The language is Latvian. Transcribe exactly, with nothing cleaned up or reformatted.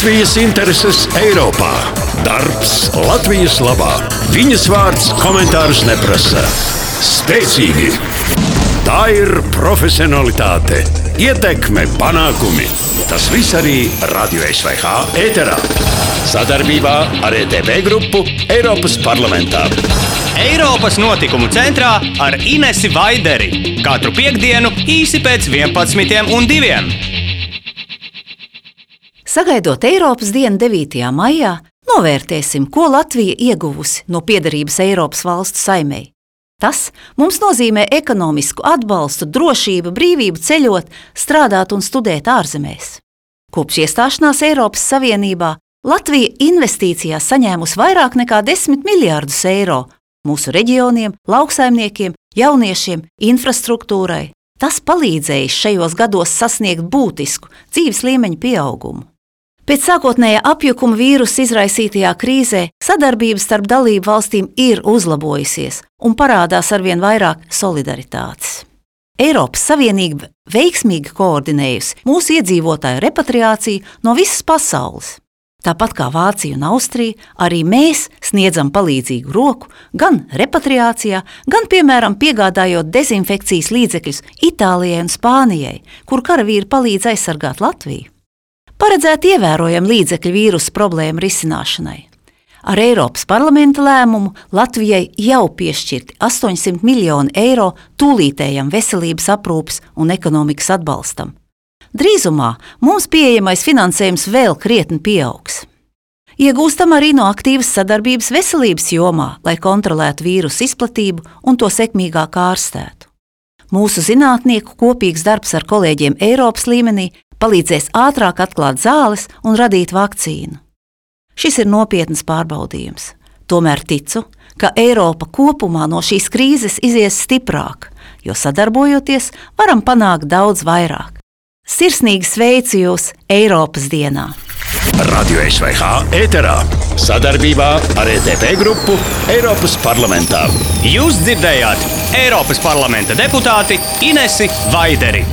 Latvijas intereses Eiropā. Darbs Latvijas labā. Viņas vārds komentārus neprasa. Spēcīgi. Tā ir profesionalitāte, ietekme, panākumi. Tas viss arī Radio S V H ēterā. Sadarbībā ar E T V grupu Eiropas parlamentā. Eiropas notikumu centrā ar Inesi Vaideri. Katru piektdienu īsi pēc vienpadsmitiem un diviem. Sagaidot Eiropas dienu devītajā maijā, novērtēsim, ko Latvija ieguvusi no piederības Eiropas valstu saimei. Tas mums nozīmē ekonomisku atbalstu, drošību, brīvību ceļot, strādāt un studēt ārzemēs. Kopš iestāšanās Eiropas Savienībā Latvija investīcijās saņēmusi vairāk nekā desmit miljārdus eiro mūsu reģioniem, lauksaimniekiem, jauniešiem, infrastruktūrai. Tas palīdzējis šajos gados sasniegt būtisku dzīves līmeņa pieaugumu. Pēc sākotnējā apjukuma vīrusa izraisītajā krīzē sadarbība starp dalību valstīm ir uzlabojusies un parādās arvien vairāk solidaritātes. Eiropas Savienība veiksmīgi koordinējusi mūsu iedzīvotāju repatriāciju no visas pasaules. Tāpat kā Vācija un Austrija, arī mēs sniedzam palīdzīgu roku gan repatriācijā, gan, piemēram, piegādājot dezinfekcijas līdzekļus Itālijai un Spānijai, kur karavīri palīdz aizsargāt Latviju. Paredzēt ievērojami līdzekļi vīrusa problēmu risināšanai. Ar Eiropas parlamenta lēmumu Latvijai jau piešķirti astoņsimt miljoni eiro tūlītējam veselības aprūpes un ekonomikas atbalstam. Drīzumā mums pieejamais finansējums vēl krietni pieaugs. Iegūstam arī no aktīvas sadarbības veselības jomā, lai kontrolētu vīrusu izplatību un to sekmīgāk ārstētu. Mūsu zinātnieku kopīgs darbs ar kolēģiem Eiropas līmenī palīdzēs ātrāk atklāt zāles un radīt vakcīnu. Šis ir nopietns pārbaudījums. Tomēr ticu, ka Eiropa kopumā no šīs krīzes izies stiprāk, jo sadarbojoties varam panākt daudz vairāk. Sirsnīgi sveicu jūs Eiropas dienā! Radio S V H ēterā. Sadarbībā ar E T V grupu Eiropas parlamentā. Jūs dzirdējāt Eiropas parlamenta deputāti Inesi Vaideri.